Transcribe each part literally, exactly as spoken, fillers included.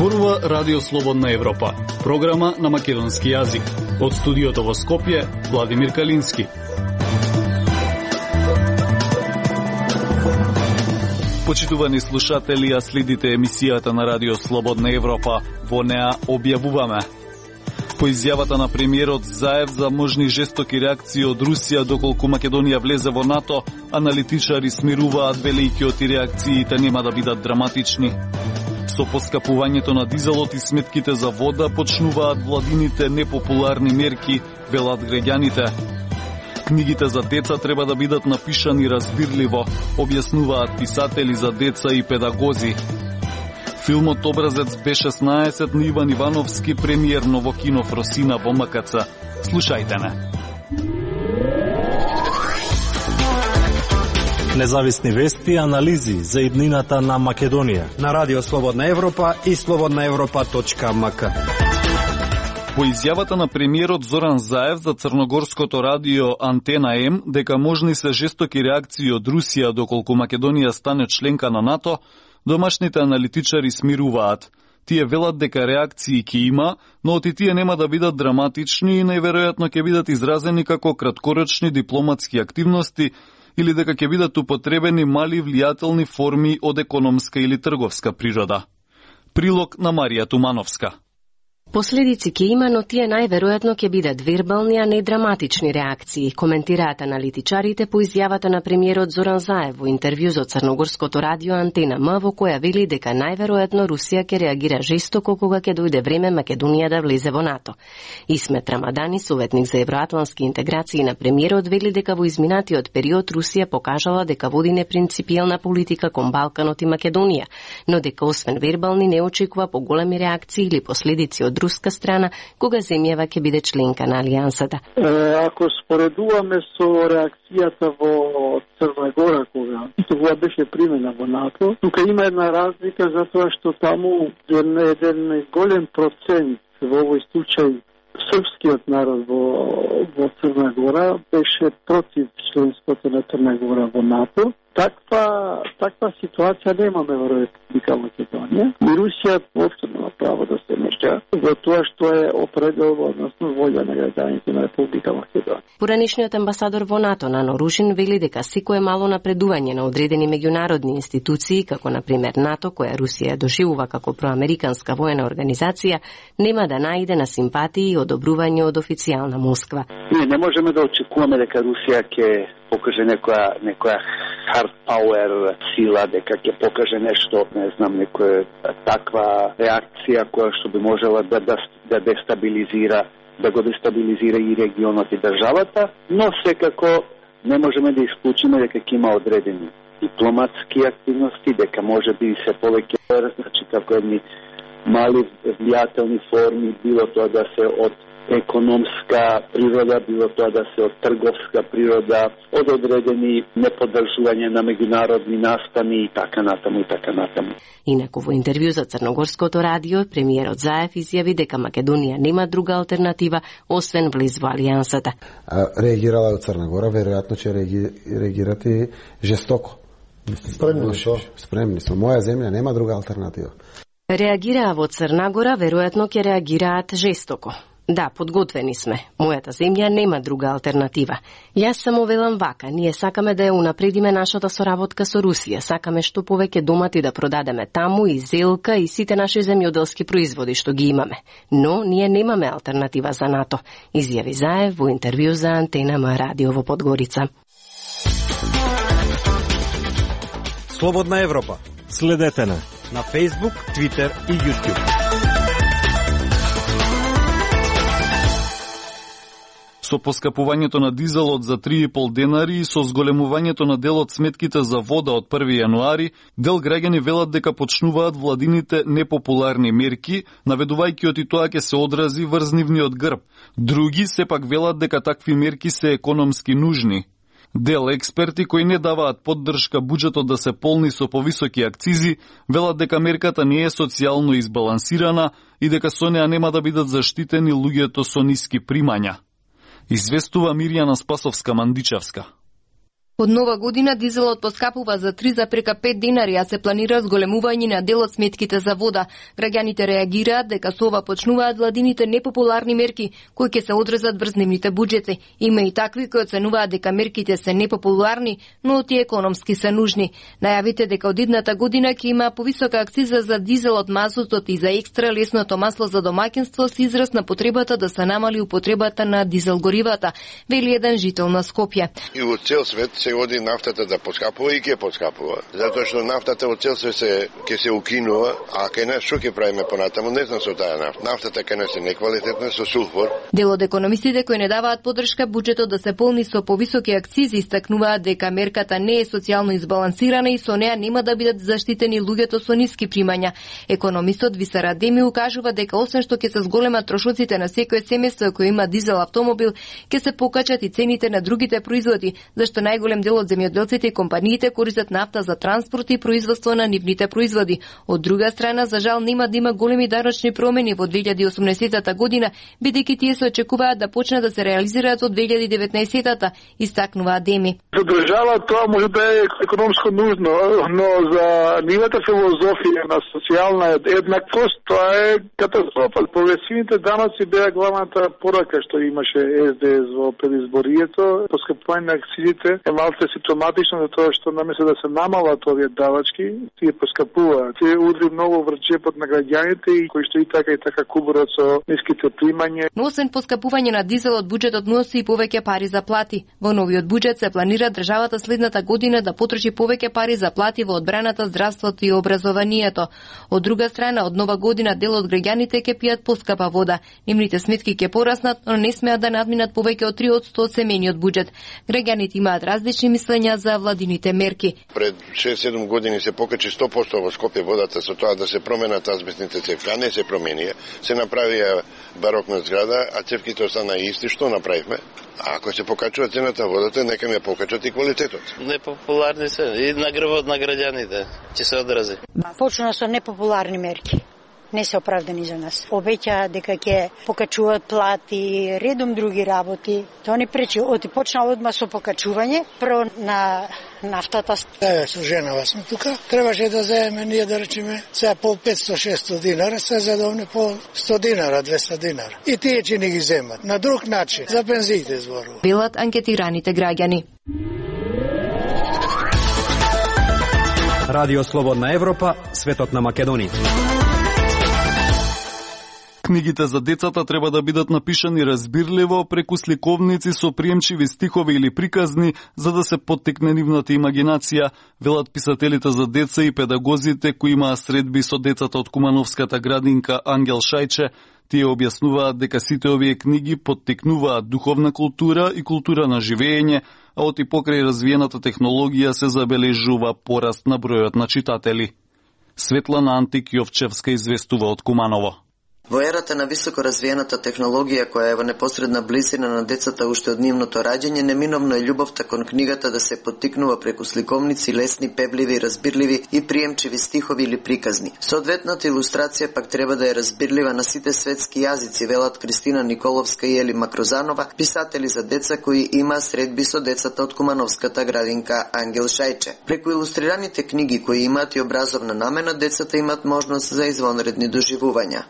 Зборува Радио Слободна Европа, програма на македонски јазик. Од студиото во Скопје, Владимир Калински. Почитувани слушатели, ја следите емисијата на Радио Слободна Европа. Во неа објавуваме: по изјавата на премиерот Заев за можни жестоки реакции од Русија доколку Македонија влезе во НАТО, аналитичари смируваат велики оти реакциите нема да бидат драматични. Со поскапувањето на дизелот и сметките за вода почнуваат владините непопуларни мерки, велат граѓаните. Книгите за деца треба да бидат напишани разбирливо, објаснуваат писатели за деца и педагози. Филмот Образец Б шеснаесет на Иван Ивановски премиерно во кино Фросина во М К Ц. Слушајте не. Независни вести и анализи за иднината на Македонија на Радио Слободна Европа и слободна европа точка м к. По изјавата на премиерот Зоран Заев за црногорското радио Антена М дека можни се жестоки реакции од Русија доколку Македонија стане членка на НАТО, домашните аналитичари смируваат. Тие велат дека реакции ќе има, но оти тие нема да бидат драматични и најверојатно ќе бидат изразени како краткорочни дипломатски активности или дека ќе бидат употребени мали влијателни форми од економска или трговска природа. Прилог на Марија Тумановска. Последици ќе има, но тие најверојатно ќе бидат вербални, а не драматични реакции, коментираат аналитичарите по изјавата на премиерот Зоран Заев во интервју за црногорското радио Антена М, во која вели дека најверојатно Русија ќе реагира жестоко кога ќе дојде време Македонија да влезе во НАТО. Исмет Рамадани, советник за евроатлански интеграции на премиерот, вели дека во изминатиот период Русија покажала дека води непринципијална политика кон Балканот и Македонија, но дека освен вербални не очекува поголеми реакции или последици од руска страна кога земјава ќе биде членка на алијансата. Ако споредуваме со реакцијата во Црна Гора кога тоа беше примена во НАТО, тука има една разлика затоа што таму еден голем процент во овој случај српскиот народ во, во Црна Гора беше против членството на Црна Гора во НАТО. Таква, таква ситуација немаме во Република Македонија. И Русија воопшто нема право да се меша во тоа што е определено, односно волја на граѓаните на Република Македонија. Поранишниот амбасадор во НАТО Нано Ружин вели дека секое мало напредување на одредени меѓународни институции, како на пример НАТО, која Русија доживува како проамериканска воена организација, нема да најде на симпатии и одобрување од официјална Москва. Не, не можеме да очекуваме дека Русија ќе покаже некоја некоја hard power сила, дека ќе покаже нешто, не знам, некоја таква реакција која што би можела да, да, да дестабилизира, да го дестабилизира и регионот и државата, но секако не можеме да исклучиме дека ќе има одредени дипломатски активности, дека може би се повеќе, значи како едни мали влијателни форми, било тоа да се од економска природа, било тоа да се од трговска природа, од одредени неподржување на меѓународни настани и така натаму и така натаму. Инаку во интервју за црногорското радио, премиерот Заев изјави дека Македонија нема друга алтернатива освен влез во алијансата. Реагирала од Црна Гора, веројатно ќе реагирате жестоко. Спремни сме. Спремни сме. Моја земја нема друга алтернатива. Реагираа во Црна Гора, веројатно ќе реагираат жестоко. Да, подготвени сме. Мојата земја нема друга алтернатива. Јас само велам вака, ние сакаме да ја унапредиме нашата соработка со Русија, сакаме што повеќе домати да продадеме таму и зелка и сите наши земјоделски производи што ги имаме. Но ние немаме алтернатива за НАТО, изјави Заев во интервју за Антена М радио во Подгорица. Слободна Европа. Следете на на Facebook, Twitter и YouTube. Со поскапувањето на дизелот за три и пол денари и со зголемувањето на делот сметките за вода од први јануари, дел граѓани велат дека почнуваат владините непопуларни мерки, наведувајќи оти тоа ќе се одрази врз нивниот грб. Други сепак велат дека такви мерки се економски нужни. Дел експерти кои не даваат поддршка буџетот да се полни со повисоки акцизи, велат дека мерката не е социјално избалансирана и дека со неа нема да бидат заштитени луѓето со ниски примања. Известува Мирјана Спасовска-Мандичевска. Од нова година дизелот поскапува за три зарез пет динари, а се планира зголемување на дел од сметките за вода. Граѓаните реагираат дека со ова почнуваат владините непопуларни мерки кои ќе се одрезат врз нивните буџети. Има и такви кои оценуваат дека мерките се непопуларни, но и економски се нужни. Најавите дека од идната година ќе има повисока акциза за дизелот, мазутот и за екстра лесното масло за домаќинство се израз на потребата да се намали употребата на дизел горивата, вели еден жител на Скопје. И во цел свет се оди нафтата да поскапува и ќе поскапува. Затоа што нафтата во цел свет се ќе се укинува, а кај нас што ќе правиме понатаму, не знам со таа нафта. Нафтата кај нас е неквалитетна со сулфур. Дел од економистите кои не даваат поддршка буџетот да се полни со повисоки акцизи истакнуваат дека мерката не е социјално избалансирана и со неа нема да бидат заштитени луѓето со ниски примања. Економистот Висар Адеми укажува дека освен што ќе се зголемат трошоците на секое семејство кој има дизел автомобил, ќе се покачат и цените на другите производи, зашто најголем дел од земјоделците и компаниите користат нафта за транспорт и производство на нивните производи. Од друга страна, за жал нема да има големи дарочни промени во две илјади и осумнаесетата година, бидејќи тие се очекуваат да почнат да се реализираат од две илјади и деветнаесетата, истакнува Адеми. За држава тоа може да е економско нужно, но за нивната филозофија на социјална еднаквост тоа е катастрофа. Прогресивните даноци беа главната порака што имаше Ес Де Ес во предизборието. Поскапување на акцизите е малце симптоматично за тоа што наместо да се намалат овие давачки, тие поскапуваат. Тие удри многу врз джепот на граѓаните и кои што и така и така кубурат со ниските примања. Но освен поскапување на дизелот, буџетот носи и повеќе пари за плати. Во новиот буџет се планира државата следната година да потроши повеќе пари за плати во одбраната, здравството и образованието. Од друга страна, од нова година дел од граѓаните ќе пијат поскапа вода. Нивните сметки ќе пораснат, но не смеат да надминат повеќе од три одсто од семејниот буџет. Граѓаните имаат различни мислења за владините мерки. Пред шест-седум години се покачи сто посто во Скопје водата со тоа да се променат азбестните цевки, а не се променија. Се направија барокна зграда, а цевките остана исти. Што направивме? А ако се покачува цената водата, нека ме покачат и квалитетот. Непопуларни се и на грбот на граѓаните ќе се одрази. Почна со непопуларни мерки. Не се оправдани за нас. Обеќаа дека ќе покачуваат плати, редом други работи. Тоа не пречи. Оти почна одма со покачување, прво на нафтата. Еве, со женава сме тука. Требаше да земеме ние да речеме сега по петсто-шесто динара, се задовне по сто динара, двесте динара. И тие ќе не ги земат. На друг начин, за пензиите зборува. Билат анкетираните граѓани. Радио Слободна Европа, светот на Македонија. Книгите за децата треба да бидат напишани разбирливо преку сликовници со приемчиви стихови или приказни за да се поттикне нивната имагинација, велат писателите за деца и педагозите кои имаа средби со децата од Кумановската градинка Ангел Шајче. Тие објаснуваат дека сите овие книги поттикнуваат духовна култура и култура на живење, а оти покрај развиената технологија се забележува пораст на бројот на читатели. Светлана Антик Јовчевска известува од Куманово. Во ерата на високо развиената технологија која е во непосредна близина на децата уште од нивното раѓање, неминовно е љубовта кон книгата да се поттикнува преку сликовници, лесни, пебливи, разбирливи и приемчиви стихови или приказни. Соодветната илустрација пак треба да е разбирлива на сите светски јазици, велат Кристина Николовска и Ели Макрозанова, писатели за деца кои има средби со децата од Кумановската градинка Ангел Шајче. Преку илустрираните книги кои имаат и образовна намена, децата имаат можност за извонредни доживувања.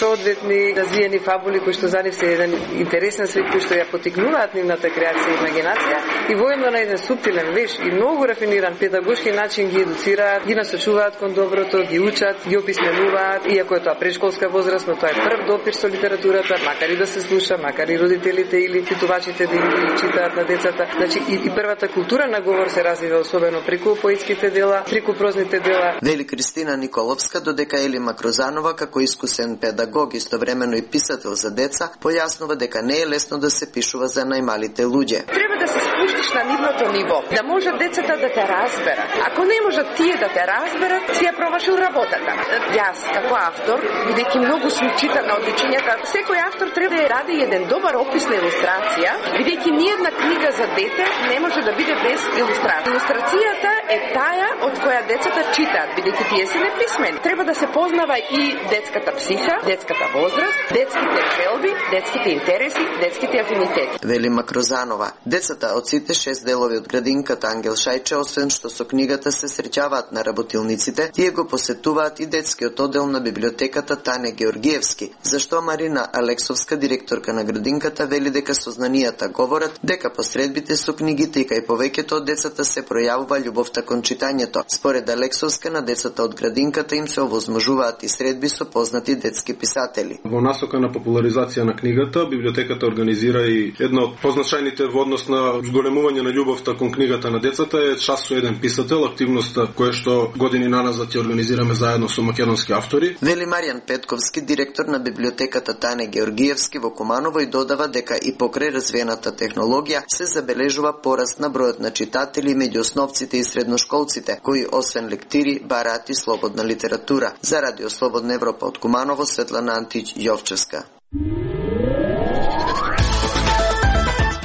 Соодветни развиени фабули кои што за нив се еден интересен свет кој што ја поттикнуваат нивната креација и имагинација и воедно на еден суптилен, веш и многу рафиниран педагошки начин ги едуцираат, ги насочуваат кон доброто, ги учат, ги описменуваат, иако е тоа предшколска возраст, но тоа е прв допир со литературата, макар и да се слуша, макар и родителите или читувачите да ги читаат на децата. Значи и, и првата култура на говор се развива особено преку поетските дела, преку прозните дела. Вели Кристина Николовска, додека Ели Макрозанова како искусен педагог истовремено и писател за деца, појаснува дека не е лесно да се пишува за најмалите луѓе. Треба да се спуштиш на нивното ниво, да можат децата да те разберат. Ако не можат тие да те разберат, си ја промашил работата. Јас, како автор, бидејќи многу сум читана од дечињата, секој автор треба да ради еден добар опис на илустрација, бидејќи ниедна книга за дете не може да биде без илустрација. Илустрацијата е таа од која децата читаат, бидејќи тие се неписмени. Треба да се познава и детската психа, детската возраст, детските желби, детските интереси, детските афинитети. Вели Макрозанова, децата од сите останатите шест делови од градинката Ангел Шајче, освен што со книгата се среќаваат на работилниците, тие го посетуваат и детскиот оддел на библиотеката Тане Георгиевски, зашто Марина Алексовска, директорка на градинката, вели дека сознанијата говорат дека посредбите со книгите и кај повеќето од децата се пројавува љубовта кон читањето. Според Алексовска, на децата од градинката им се овозможуваат и средби со познати детски писатели. Во насока на популаризација на книгата, библиотеката организира и едно од позначајните во однос на зголемување на љубовта кон книгата на децата е час со еден писател, активноста која што години наназад ја организираме заедно со македонски автори. Вели Маријан Петковски, директор на библиотеката Тане Георгиевски во Куманово, и додава дека и покрај развиената технологија се забележува пораст на бројот на читатели меѓу основците и средношколците, кои освен лектири бараат и слободна литература. За Радио Слободна Европа од Куманово, Светлана Антич Јовчевска.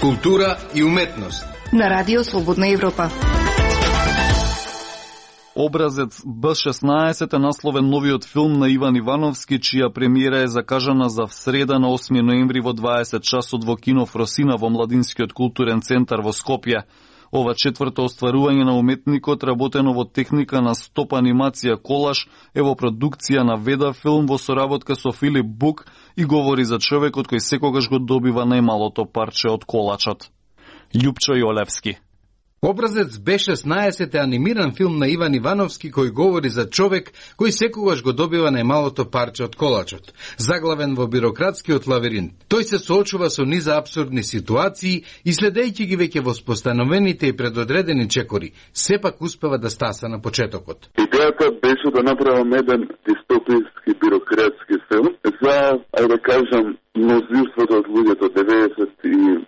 Култура и уметност на Радио Слободна Европа. Образец Б шеснаесет е насловен новиот филм на Иван Ивановски, чија премиера е закажана за среда на осми ноември во дваесет часот во кино Фросина во Младинскиот културен центар во Скопје. Ова четврто остварување на уметникот, работено во техника на стоп анимација колаж, е во продукција на Веда филм во соработка со Филип Бук и говори за човекот кој секогаш го добива најмалото парче од колачот. Љупчо Јолевски. Образец Б шеснаесет е анимиран филм на Иван Ивановски кој говори за човек кој секогаш го добива најмалото парче од колачот. Заглавен во бирократскиот лавиринт, тој се соочува со низа апсурдни ситуации и следејќи ги веќе воспостановените и предодредени чекори, сепак успева да стаса на почетокот. Идејата беше да направам еден дистопијски бирократски филм за, ајде да кажам, мнозинството од луѓето, деветдесет и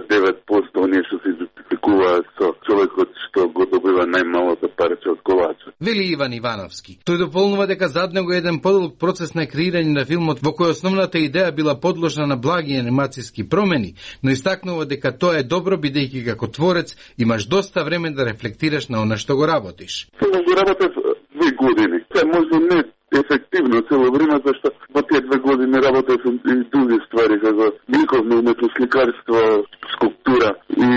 девет проценти оние што се идентификуваат со човекот што го добива најмалото парче од колачот. Вели Иван Ивановски. Тој дополнува дека зад него е еден подолг процес на креирање на филмот во кој основната идеја била подложна на благи анимацијски промени, но истакнува дека тоа е добро бидејќи како творец имаш доста време да рефлектираш на она што го работиш. Филмот го работев две години. Тоа можда не ефективно цело време, зашто во тие две години работев и други ствари, како ликовно уметност, сликарство, скулптура и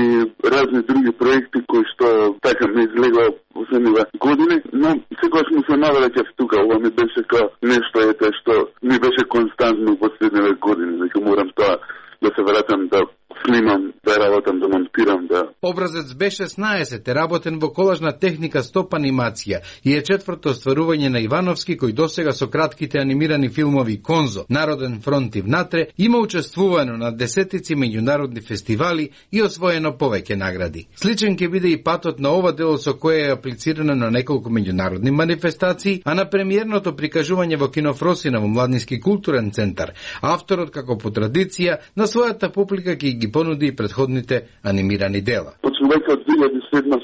разни други проекти кои што така ми излегува во следниве години, но секогаш му се навраќав тука, ова ми беше ка нешто ете што ми беше константно во следниве години, дека морам тоа да се вратам да снимам, да работам, да монтирам, да... Образец Б шеснаесет е работен во колажна техника стоп анимација и е четврто остварување на Ивановски, кој досега со кратките анимирани филмови Конзо, Народен фронт и внатре има учествувано на десетици меѓународни фестивали и освоено повеќе награди. Сличен ќе биде и патот на ова дело со кое е аплицирано на неколку меѓународни манифестации, а на премиерното прикажување во кино Фросина во Младински културен центар, авторот како по традиција на својата публика ќе ги понуди и предходните анимирани дела. Почнувајќи од две илјади и седма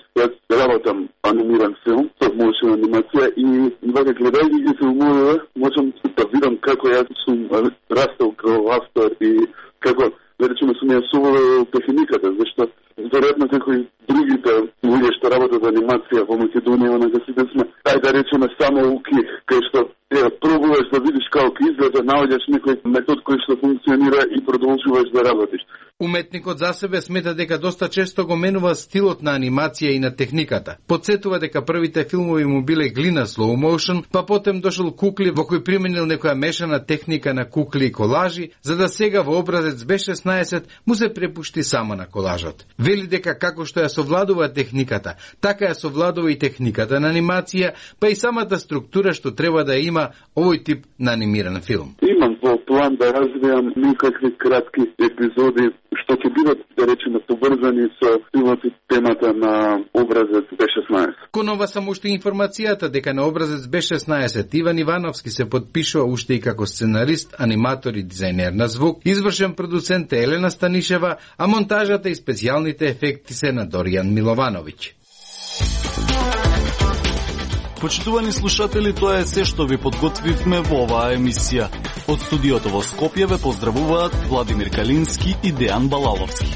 работам анимиран филм, со мојшна анимација и вака гледајќи ги филмове, можам да видам како јас сум растал како автор и како, да речеме, сум ја соволел техниката, зашто веројатно како и другите луѓе што работат анимација во Македонија, на сите сме, ај да речеме, само уки, кај што е, пробуваш да видиш како изгледа, наоѓаш некој метод кој што функционира и продолжуваш да работиш. Уметникот за себе смета дека доста често го менува стилот на анимација и на техниката. Подсетува дека првите филмови му биле глина slow motion, па потем дошол кукли во кој применил некоја мешана техника на кукли и колажи, за да сега во образец Б шеснаесет му се препушти само на колажот. Вели дека како што ја совладува техниката, така ја совладува и техниката на анимација, па и самата структура што треба да има овој тип на анимиран филм. Имам во план да развијам некакви кратки епизоди што ќе бидат, да речеме, поврзани со филмот и темата на образец Б шеснаесет. Кон ова само уште информацијата дека на образец Б шеснаесет Иван Ивановски се подпишува уште и како сценарист, аниматор и дизајнер на звук, извршен продуцент е Елена Станишева, а монтажата и специјалните ефекти се на Доријан Миловановиќ. Почитувани слушатели, тоа е се што ви подготвивме во оваа емисија. Од студиото во Скопје ве поздравуваат Владимир Калински и Дејан Балаловски.